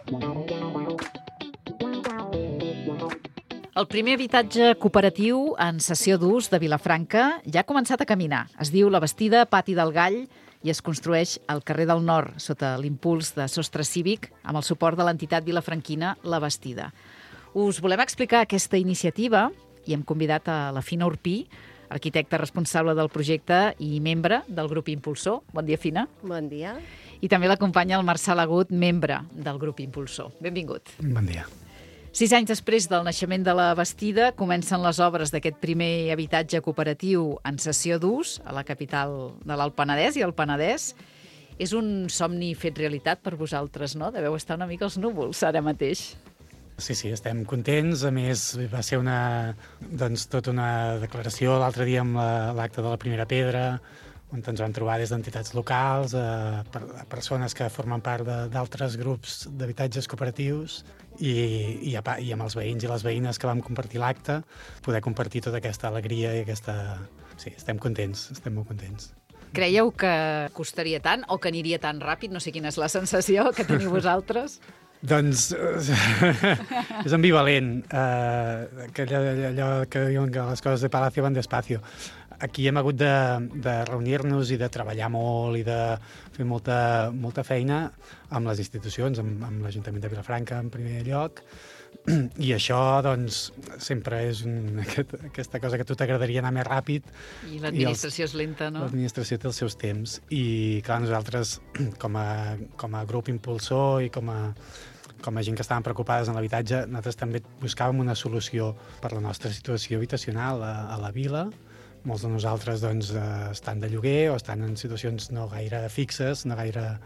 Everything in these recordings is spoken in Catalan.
El primer habitatge cooperatiu en cessió d'ús de Vilafranca ja ha començat a caminar. Es diu La Bastida Pati del Gall i es construeix al carrer del Nord, sota l'impuls de Sostre Cívic, amb el suport de l'entitat vilafranquina La Bastida. Us volem explicar aquesta iniciativa i hem convidat a la Fina Urpí, arquitecta responsable del projecte i membre del grup impulsor. Bon dia, Fina. Bon dia. I també l'acompanya el Marçal Agut, membre del grup impulsor. Benvingut. Bon dia. 6 anys després del naixement de La Bastida, comencen les obres d'aquest primer habitatge cooperatiu en cessió d'ús a la capital de l'Alt Penedès i el Penedès. És un somni fet realitat per vosaltres, no? Deveu estar una mica als núvols ara mateix. Sí, estem contents. A més, va ser tota una declaració l'altre dia amb l'acte de la primera pedra, on ens vam trobar des d'entitats locals, a persones que formen part d'altres grups d'habitatges cooperatius i amb els veïns i les veïnes que vam compartir l'acte, poder compartir tota aquesta alegria i aquesta... Sí, estem contents, estem molt contents. Creieu que costaria tant o que aniria tan ràpid? No sé quina és la sensació que teniu vosaltres. Doncs és ambivalent, allò que diuen que les coses de Palacio van despacio. Aquí hem hagut de reunir-nos i de treballar molt i de fer molta feina amb les institucions, amb l'Ajuntament de Vilafranca en primer lloc, i això doncs sempre és aquesta cosa que a tu t'agradaria anar més ràpid. I l'administració és lenta, no? L'administració té els seus temps i clar, nosaltres com a grup impulsor i com a gent que estaven preocupades en l'habitatge, nosaltres també buscàvem una solució per la nostra situació habitacional a la vila. Molts de nosaltres doncs, estan de lloguer o estan en situacions no gaire fixes, no gaire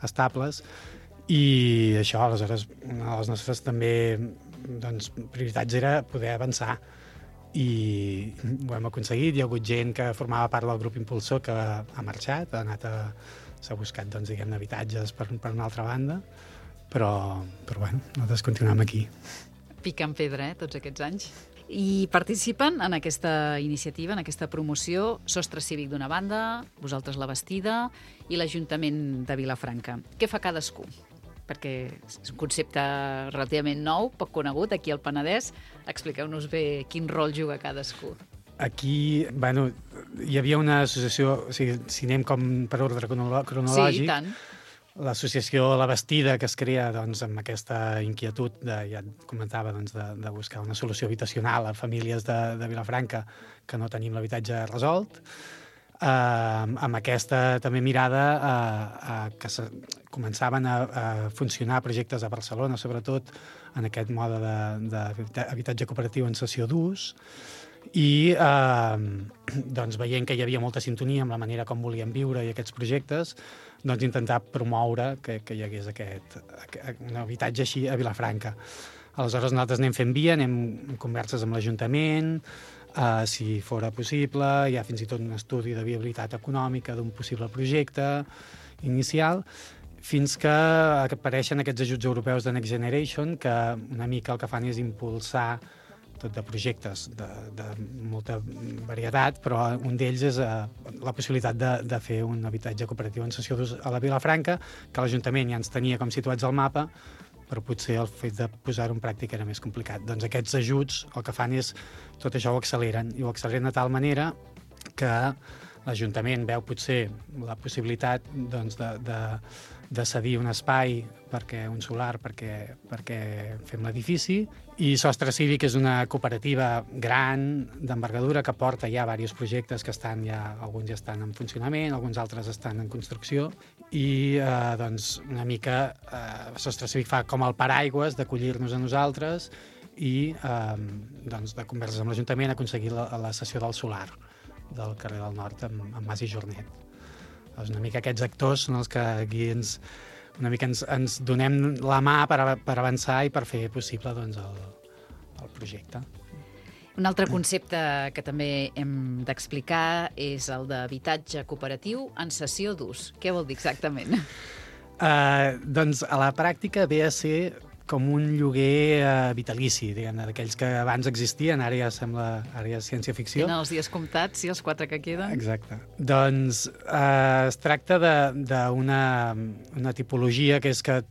estables, i això, aleshores, una de les nostres també prioritats era poder avançar, i ho hem aconseguit. Hi ha hagut gent que formava part del grup impulsor que ha marxat, s'ha buscat habitatges per una altra banda, però bueno, nosaltres continuem aquí. Pica en pedra, tots aquests anys. I participen en aquesta iniciativa, en aquesta promoció, Sostre Cívic d'una banda, vosaltres La Bastida i l'Ajuntament de Vilafranca. Què fa cadascú? Perquè és un concepte relativament nou, poc conegut, aquí al Penedès. Expliqueu-nos bé quin rol juga cadascú. Aquí, hi havia una associació, o sigui, si anem com per ordre cronològic, sí, i tant. L'associació La Bastida, que es crea amb aquesta inquietud, ja et comentava, de buscar una solució habitacional a famílies de Vilafranca que no tenim l'habitatge resolt, amb aquesta també mirada que començaven a funcionar projectes a Barcelona, sobretot en aquest mode d'habitatge cooperatiu en cessió d'ús, i veient que hi havia molta sintonia amb la manera com volíem viure i aquests projectes, intentar promoure que hi hagués un habitatge així a Vilafranca. Aleshores nosaltres anem fent via, anem en converses amb l'Ajuntament, si fora possible, hi ha fins i tot un estudi de viabilitat econòmica d'un possible projecte inicial, fins que apareixen aquests ajuts europeus de Next Generation, que una mica el que fan és impulsar tot de projectes de molta varietat, però un d'ells és la possibilitat de fer un habitatge cooperatiu en cessió d'ús a la Vilafranca, que l'Ajuntament ja ens tenia com situats al mapa, però potser el fet de posar-ho en pràctica era més complicat. Doncs aquests ajuts el que fan és tot això ho acceleren, i ho acceleren de tal manera que l'Ajuntament veu potser la possibilitat de cedir un espai un solar perquè fem l'edifici, i Sostre Cívic és una cooperativa gran, d'envergadura, que porta ja diversos projectes que alguns ja estan en funcionament, alguns altres estan en construcció, i una mica Sostre Cívic fa com el paraigües d'acollir-nos a nosaltres i de converses amb l'Ajuntament aconseguir la cessió del solar del carrer del Nord amb Mas i Jornet. Doncs una mica aquests actors són els que aquí ens donem la mà per avançar i per fer possible el projecte. Un altre concepte que també hem d'explicar és el d'habitatge cooperatiu en cessió d'ús. Què vol dir exactament? Doncs a la pràctica ve a ser com un lloguer vitalici, diguem-ne, d'aquells que abans existien, ara ja és ciència-ficció. Tenen els dies comptats, sí, els 4 que queden. Exacte. Doncs es tracta d'una tipologia que és que,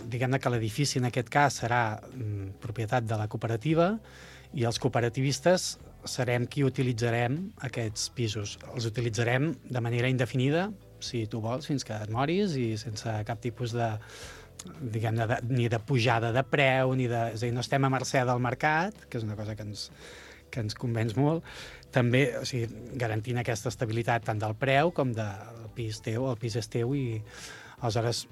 diguem-ne que l'edifici en aquest cas serà propietat de la cooperativa i els cooperativistes serem qui utilitzarem aquests pisos. Els utilitzarem de manera indefinida, si tu vols, fins que et moris i sense cap tipus de, diguem-ne, ni de pujada de preu, és a dir, no estem a mercè del mercat, que és una cosa que ens convenç molt, també, o sigui, garantint aquesta estabilitat tant del preu com del pis teu, el pis és teu i aleshores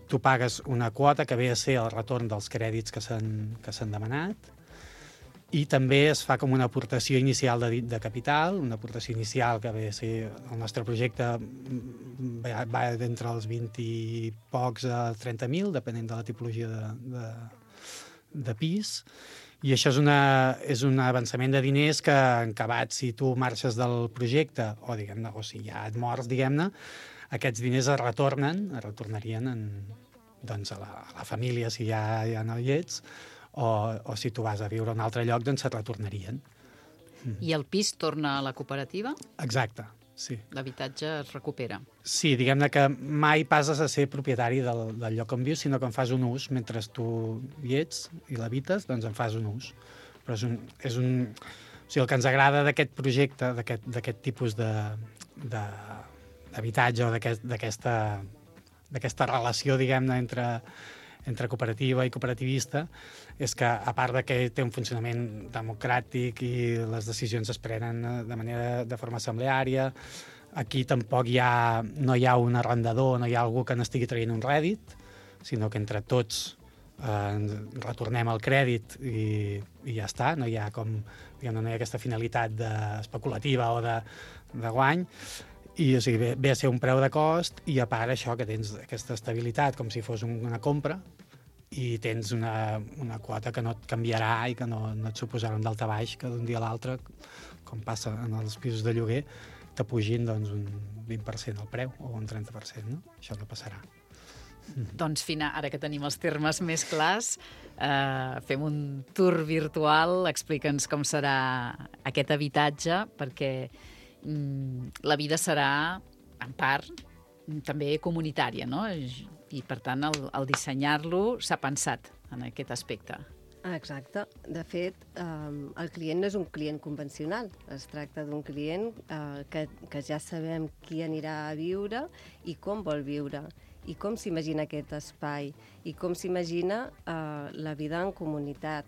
tu pagues una quota que ve a ser el retorn dels crèdits que s'han demanat i també es fa com una aportació inicial de capital, una aportació inicial que ve a ser el nostre projecte va d'entre els 20 i pocs a 30.000, depenent de la tipologia de pis, i això és un avançament de diners que, en acabat, si tu marxes del projecte, o si ja et mors, diguem-ne, aquests diners es retornarien doncs, a la família, si ja no hi ets, o si tu vas a viure a un altre lloc, doncs se't retornarien. I el pis torna a la cooperativa? Exacte, sí. L'habitatge es recupera. Sí, diguem-ne que mai passes a ser propietari del lloc on vius, sinó que en fas un ús. Mentre tu hi ets i l'habites, doncs en fas un ús. Però o sigui, el que ens agrada d'aquest projecte, d'aquest tipus d'habitatge o d'aquesta relació, diguem-ne, entre cooperativa i cooperativista, és que, a part de que té un funcionament democràtic i les decisions es prenen de forma assembleària, aquí tampoc no hi ha un arrendador, no hi ha algú que n'estigui traient un rèdit, sinó que entre tots retornem el crèdit i ja està, no hi ha aquesta finalitat especulativa o de guany, i o sigui, ve a ser un preu de cost i a part això que tens aquesta estabilitat com si fos una compra i tens una quota que no et canviarà i que no et suposarà un daltabaix que d'un dia a l'altre, com passa en els pisos de lloguer, t'apugin doncs, un 20% al preu o un 30%, no? Això no passarà. Doncs, Fina, ara que tenim els termes més clars, fem un tour virtual, explica'ns com serà aquest habitatge, perquè la vida serà, en part, també comunitària, no? I, per tant, el dissenyar-lo s'ha pensat en aquest aspecte. Exacte. De fet, el client no és un client convencional. Es tracta d'un client que ja sabem qui anirà a viure i com vol viure, i com s'imagina aquest espai, i com s'imagina la vida en comunitat.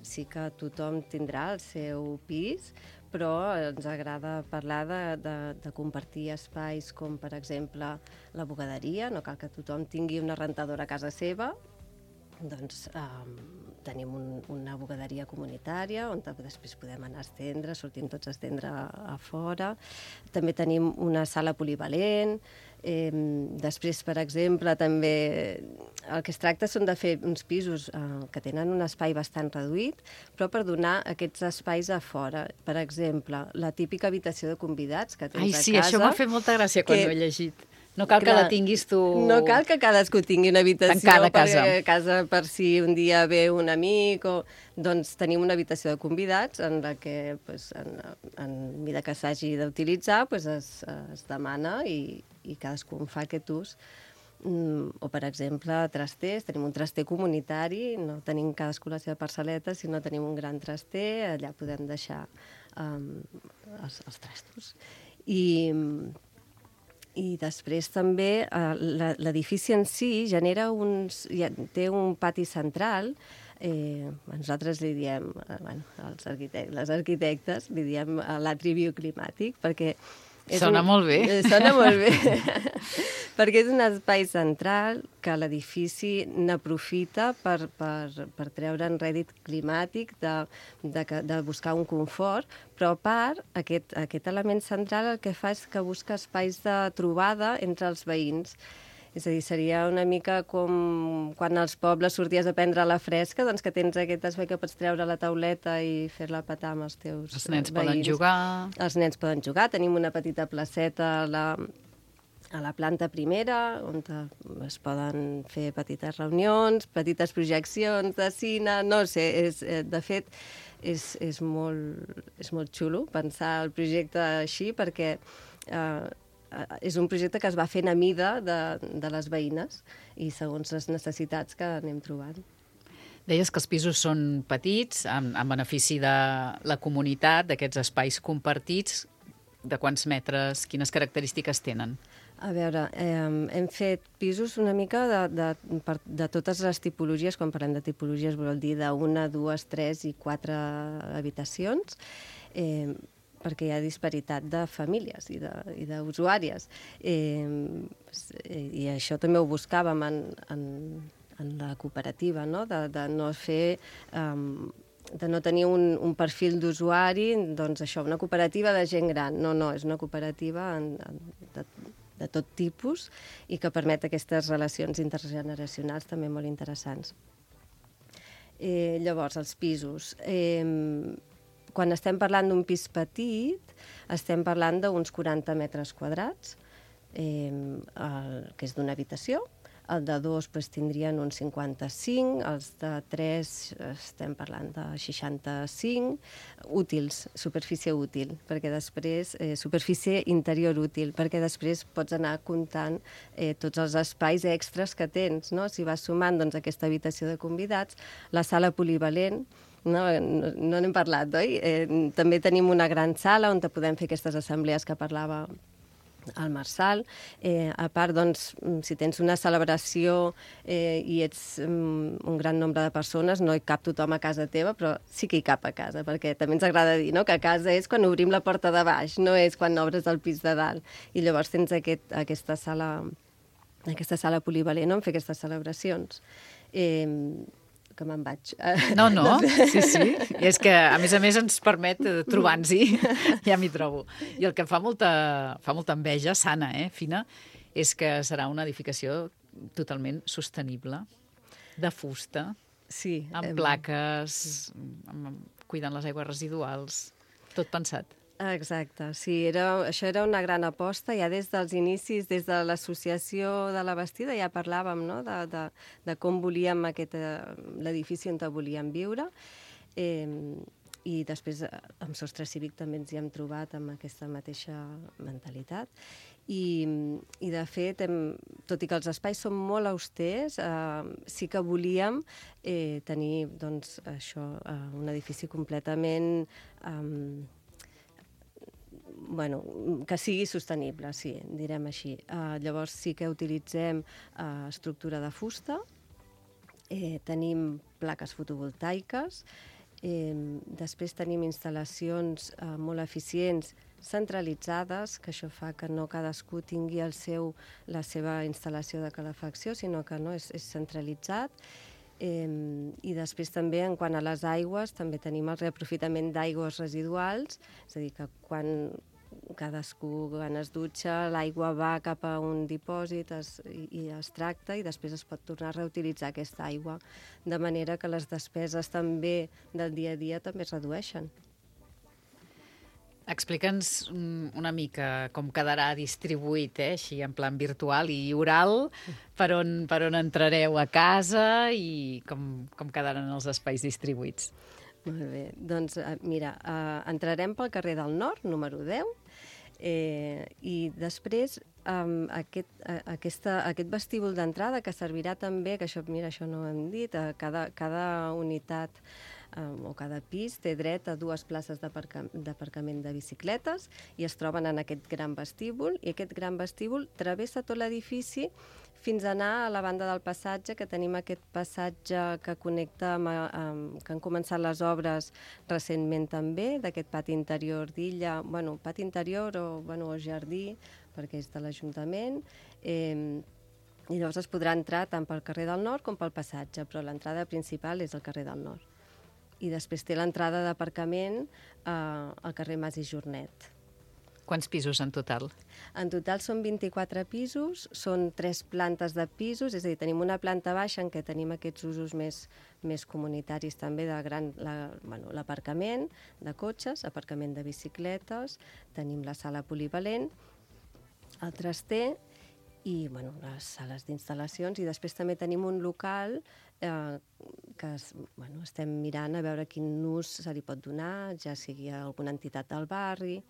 Sí que tothom tindrà el seu pis, però ens agrada parlar de compartir espais com, per exemple, la bugaderia. No cal que tothom tingui una rentadora a casa seva, doncs tenim una bugaderia comunitària on després podem anar a estendre, sortim tots a estendre a fora. També tenim una sala polivalent. Després, per exemple, també el que es tracta són de fer uns pisos que tenen un espai bastant reduït, però per donar aquests espais a fora. Per exemple, la típica habitació de convidats que tens a casa. Ai, sí, això m'ha fet molta gràcia quan ho he llegit. No cal que la tinguis tu... No cal que cadascú tingui una habitació a casa per si un dia ve un amic o... Doncs tenim una habitació de convidats en la que, en mida que s'hagi d'utilitzar, es demana i cadascú en fa aquest ús. O, per exemple, trasters. Tenim un traster comunitari, no tenim cadascú la seva parcel·leta, sinó tenim un gran traster, allà podem deixar els trastos. I després també l'edifici en si genera té un pati central. Nosaltres li diem, les arquitectes, li diem l'atri bioclimàtic, perquè Sona molt bé. Sona molt bé. Perquè és un espai central que l'edifici n'aprofita per treure en rèdit climàtic, de buscar un confort, però a part, aquest element central el que fa és que busca espais de trobada entre els veïns. És a dir, seria una mica com quan als pobles sorties a prendre la fresca, doncs que tens aquest espai que pots treure la tauleta i fer-la petar amb els teus veïns. Els nens poden jugar. Els nens poden jugar. Tenim una petita placeta a la planta primera, on es poden fer petites reunions, petites projeccions de cine, no sé, de fet, és molt xulo pensar el projecte així, perquè és un projecte que es va fent a mida de les veïnes i segons les necessitats que anem trobant. Deies que els pisos són petits, en benefici de la comunitat, d'aquests espais compartits. De quants metres, quines característiques tenen? A veure, hem fet pisos una mica de totes les tipologies. Quan parlem de tipologies vol dir d'una, dues, tres i 4 habitacions, perquè hi ha disparitat de famílies i d'usuàries. I això també ho buscàvem en la cooperativa, no? De no fer... de no tenir un perfil d'usuari, doncs això, una cooperativa de gent gran. No, és una cooperativa de tot tipus i que permet aquestes relacions intergeneracionals també molt interessants. Llavors, els pisos. Quan estem parlant d'un pis petit, estem parlant d'uns 40 metres quadrats, que és d'una habitació. El de 2 tindrien uns 55, els de 3 estem parlant de 65, útils, superfície útil, perquè després, superfície interior útil, perquè després pots anar comptant tots els espais extras que tens, no? Si vas sumant aquesta habitació de convidats, la sala polivalent, no n'hem parlat, oi? També tenim una gran sala on podem fer aquestes assemblees que parlava al Marçal. A part, doncs, si tens una celebració i ets un gran nombre de persones, no hi cap tothom a casa teva, però sí que hi cap a casa, perquè també ens agrada dir, no?, que a casa és quan obrim la porta de baix, no és quan obres el pis de dalt. I llavors tens aquesta sala polivalent on fer aquestes celebracions. Que me'n vaig. No, sí. I és que, a més, ens permet trobar-nos-hi, ja m'hi trobo. I el que fa molta enveja, sana, fina, és que serà una edificació totalment sostenible, de fusta, sí, amb plaques, cuidant les aigües residuals, tot pensat. Exacte, sí, això era una gran aposta, ja des dels inicis, des de l'associació de la Bastida ja parlàvem, no?, de com volíem l'edifici on volíem viure, i després amb Sostre Cívic també ens hi hem trobat amb aquesta mateixa mentalitat. I de fet, tot i que els espais són molt austers, sí que volíem tenir, doncs, això, un edifici completament... que sigui sostenible, sí, direm així. Llavors sí que utilitzem estructura de fusta, tenim plaques fotovoltaiques, després tenim instal·lacions molt eficients centralitzades, que això fa que no cadascú tingui la seva instal·lació de calefacció, sinó que no, és centralitzat. I després també, en quant a les aigües, també tenim el reaprofitament d'aigües residuals, és a dir, que quan cadascú es dutxa, l'aigua va cap a un dipòsit i es tracta i després es pot tornar a reutilitzar aquesta aigua, de manera que les despeses també del dia a dia també es redueixen. Explica'ns una mica com quedarà distribuït, així en plan virtual i oral, per on entrareu a casa i com quedaran els espais distribuïts. Molt bé, doncs mira, entrarem pel carrer del Nord, número 10, i després aquest vestíbul d'entrada que servirà també, que això no ho hem dit, cada unitat o cada pis té dret a 2 places d'aparcament de bicicletes i es troben en aquest gran vestíbul, i aquest gran vestíbul travessa tot l'edifici fins a anar a la banda del passatge, que tenim aquest passatge que connecta que han començat les obres recentment també, d'aquest pati interior d'Illa, pati interior o jardí, perquè és de l'Ajuntament, i llavors es podrà entrar tant pel carrer del Nord com pel passatge, però l'entrada principal és el carrer del Nord. I després té l'entrada d'aparcament al carrer Mas i Jornet. Quants pisos en total? En total són 24 pisos, són 3 plantes de pisos, és a dir, tenim una planta baixa en què tenim aquests usos més comunitaris també, l'aparcament de cotxes, aparcament de bicicletes, tenim la sala polivalent, el traster i bueno, les sales d'instal·lacions, i després també tenim un local que estem mirant a veure quin ús se li pot donar, ja sigui a alguna entitat del barri.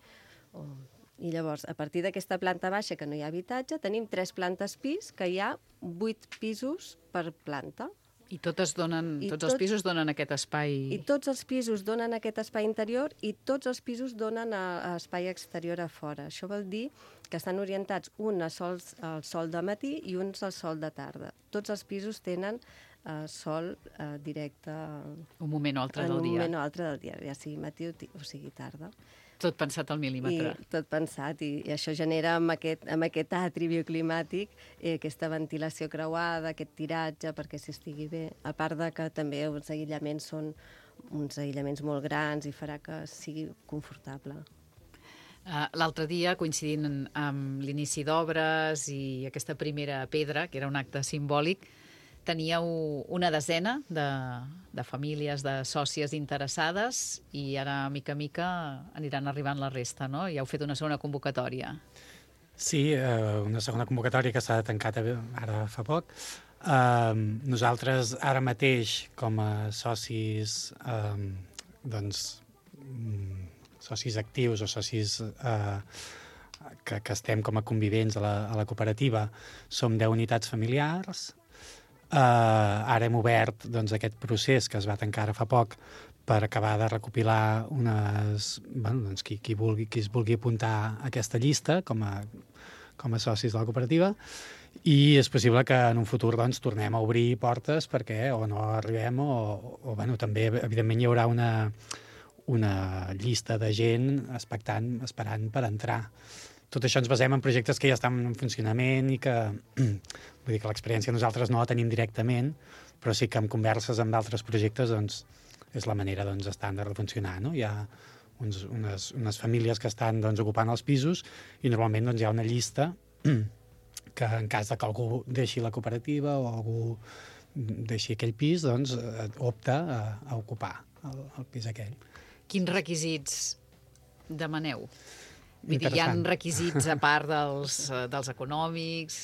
I llavors, a partir d'aquesta planta baixa, que no hi ha habitatge, tenim 3 plantes pis, que hi ha 8 pisos per planta. I tots els pisos donen aquest espai... I tots els pisos donen aquest espai interior i tots els pisos donen espai exterior a fora. Això vol dir que estan orientats un al sol de matí i uns al sol de tarda. Tots els pisos tenen sol directe... Un moment o altre del dia. En un moment o altre del dia, ja sigui matí o sigui tarda. Tot pensat al mil·límetre. I tot pensat, i això genera amb aquest atri bioclimàtic aquesta ventilació creuada, aquest tiratge, perquè s'estigui bé. A part de que també els aïllaments són uns aïllaments molt grans i farà que sigui confortable. L'altre dia, coincidint amb l'inici d'obres i aquesta primera pedra, que era un acte simbòlic, teníeu una desena de famílies, de sòcies interessades, i ara, mica a mica, aniran arribant la resta, no? I heu fet una segona convocatòria. Sí, una segona convocatòria que s'ha tancat ara fa poc. Nosaltres, ara mateix, com a socis, socis actius o socis que estem com a convivents a la cooperativa, som 10 unitats familiars. Ara hem obert aquest procés que es va tancar ara fa poc per acabar de recopilar qui es vulgui apuntar a aquesta llista com a socis de la cooperativa, i és possible que en un futur tornem a obrir portes perquè o no arribem o també, evidentment, hi haurà una llista de gent esperant per entrar. Tot això ens basem en projectes que ja estan en funcionament i que, vull dir que l'experiència nosaltres no la tenim directament, però sí que en converses amb d'altres projectes és la manera estàndard de funcionar, no? Hi ha unes famílies que estan ocupant els pisos i normalment hi ha una llista que en cas de que algú deixi la cooperativa o algú deixi aquell pis, opta a ocupar el pis aquell. Quins requisits demaneu? Vull dir, hi ha requisits a part dels econòmics?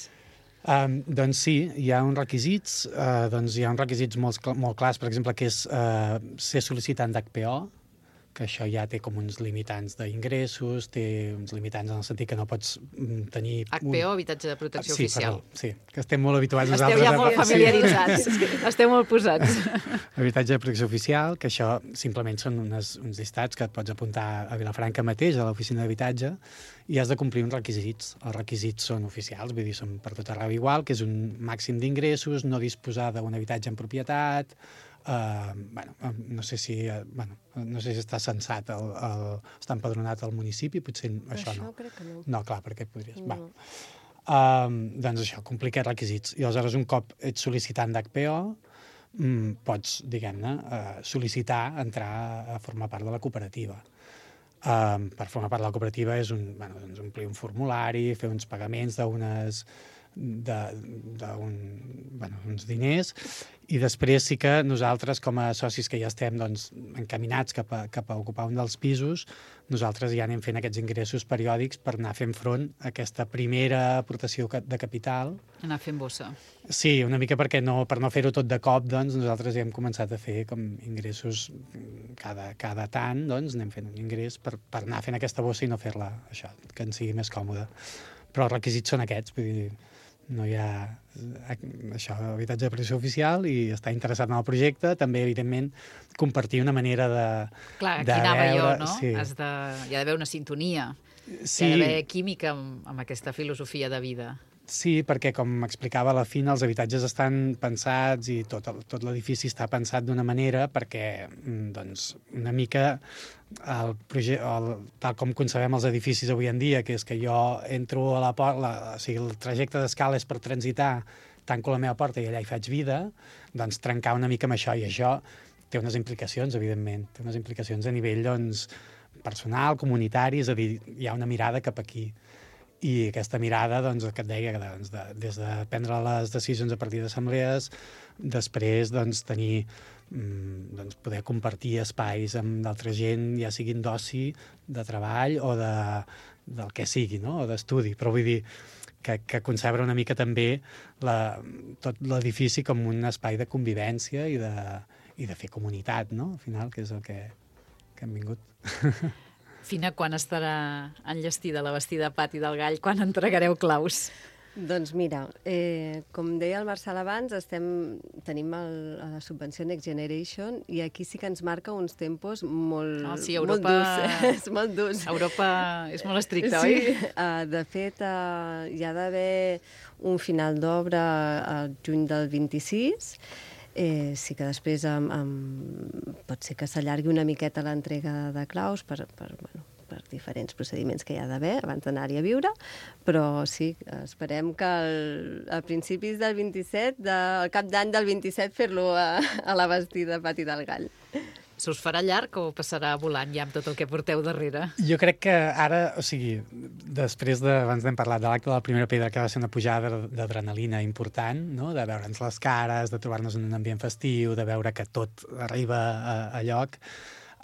Doncs sí, hi ha uns requisits. Hi ha uns requisits molt clars, per exemple, que és ser sol·licitant d'HPO, que això ja té com uns limitants d'ingressos, té uns limitants en el sentit que no pots tenir... HPO, habitatge de protecció oficial. Sí, que estem molt habituats nosaltres. Esteu ja molt familiaritzats, esteu molt posats. Habitatge de protecció oficial, que això simplement són uns llistats que et pots apuntar a Vilafranca mateix, a l'oficina d'habitatge, i has de complir uns requisits. Els requisits són oficials, vull dir, són per tot arreu igual, que és un màxim d'ingressos, no disposar d'un habitatge en propietat, no sé si està censat, està empadronat al municipi, potser això no. Això crec que no. No, clar, perquè podries... No. Doncs això, complir aquests requisits. I aleshores, un cop ets sol·licitant d'HPO, pots, diguem-ne, sol·licitar entrar a formar part de la cooperativa. Per formar part de la cooperativa és omplir un formulari, fer uns pagaments uns diners, i després sí que nosaltres, com a socis que ja estem encaminats cap a ocupar un dels pisos, nosaltres ja anem fent aquests ingressos periòdics per anar fent front a aquesta primera aportació de capital. Anar fent bossa. Sí, una mica per no fer-ho tot de cop, nosaltres ja hem començat a fer com ingressos cada tant, anem fent un ingrés per anar fent aquesta bossa i no fer-la, això, que ens sigui més còmode. Però els requisits són aquests, vull dir, no hi ha habitatge de protecció oficial i estar interessat en el projecte, també, evidentment, compartir una manera de... Clar, aquí anava jo, no? Sí. Hi ha d'haver una sintonia, sí. Hi ha d'haver química amb aquesta filosofia de vida. Sí, perquè, com explicava, a la fi els habitatges estan pensats i tot l'edifici està pensat d'una manera perquè, una mica tal com concebem els edificis avui en dia, que és que jo entro a la porta, o sigui, el trajecte d'escala és per transitar, tanco la meva porta i allà hi faig vida, trencar una mica amb això, i això té unes implicacions, evidentment, té unes implicacions a nivell personal, comunitari, és a dir, hi ha una mirada cap aquí. I aquesta mirada, que et deia, des de prendre les decisions a partir d'assemblees, després tenir, poder compartir espais amb d'altra gent, ja siguin d'oci, de treball o del que sigui, no? O d'estudi, però vull dir que concebre una mica també tot l'edifici com un espai de convivència i de fer comunitat, no? Al final, que és el que hem vingut. Fina, quan estarà enllestida la bastida Pati del Gall? Quan entregareu claus? Doncs mira, com deia el Marçal abans, tenim la subvenció Next Generation i aquí sí que ens marca uns tempos molt, Europa, molt durs. Molt durs. Europa és molt estricta, sí, oi? De fet, hi ha d'haver un final d'obra al juny del 26. Sí que després pot ser que s'allargui una miqueta l'entrega de claus per diferents procediments que hi ha d'haver abans d'anar-hi a viure, però sí, esperem que a principis del 27, al cap d'any del 27, fer-lo a la bastida Pati del Gall. Se us farà llarg o passarà volant ja amb tot el que porteu darrere? Jo crec que ara, o sigui, abans n'hem parlat de l'acte de la primera pedra, que va ser una pujada d'adrenalina important, no? De veure'ns les cares, de trobar-nos en un ambient festiu, de veure que tot arriba a lloc.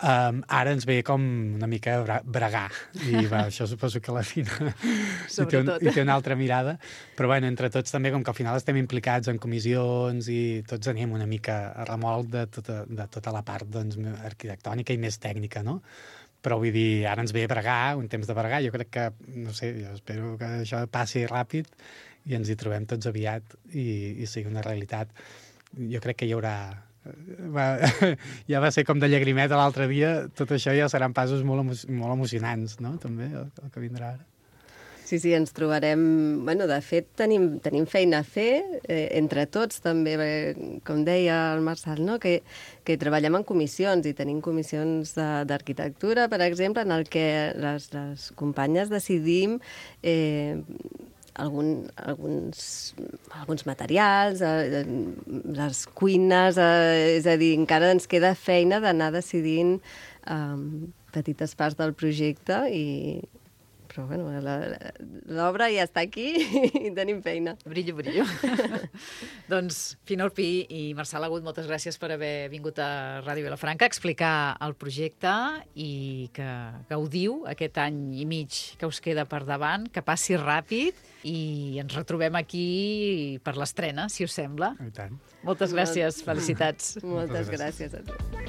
Ara ens ve com una mica bregar, i això suposo que la Fina hi té una altra mirada, però bueno, entre tots també, com que al final estem implicats en comissions i tots anem una mica a remolc de tota la part arquitectònica i més tècnica, no? Però vull dir, ara ens ve bregar, un temps de bregar, jo crec que, no sé, jo espero que això passi ràpid i ens hi trobem tots aviat i sigui una realitat. Jo crec que hi haurà... ja va ser com de llagrimeta l'altre dia, tot això ja seran passos molt emocionants, no?, també, el que vindrà ara. Sí, ens trobarem... Bueno, de fet, tenim feina a fer, entre tots també, com deia el Marçal, no?, que treballem en comissions, i tenim comissions d'arquitectura, per exemple, en el que les companyes decidim alguns materials, les cuines, és a dir, encara ens queda feina d'anar decidint petites parts del projecte, però bueno, l'obra ja està aquí i tenim feina. Brillo. Doncs Fina Orpí i Marçal Agut, moltes gràcies per haver vingut a Ràdio Vilafranca a explicar el projecte i que gaudiu aquest any i mig que us queda per davant, que passi ràpid i ens retrobem aquí per l'estrena, si us sembla. I tant. Moltes gràcies, felicitats. Moltes gràcies a tu.